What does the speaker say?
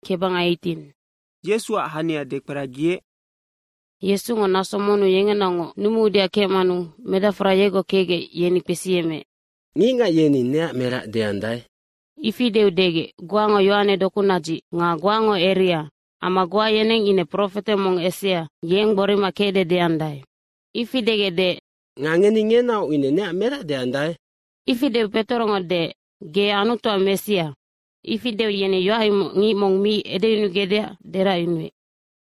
Kebangaitin. Yesuac hania dekperagiec. Yesungo naso monnu yengenaocngoc numuudeac kecmanu medacfora yegoc kecgec, yeni kpesiyemmeec, “Ngicngac yeni neac merac deandae?” Ifi deu degec, “Goango Yohane dokunadzic nga goango Eria amma goa yeneng ine profete mong esea, yeng gborima kecde deandae.” Ifi degec deec, “Nga ngeni ngenaoc ine neac merac deandae?” Ifi deu Petorongo deec, “Ge Anutuac Messia.” Ifi deu yeni yoac imoc ngic mong mi edeyunugecdeac deracyunuec.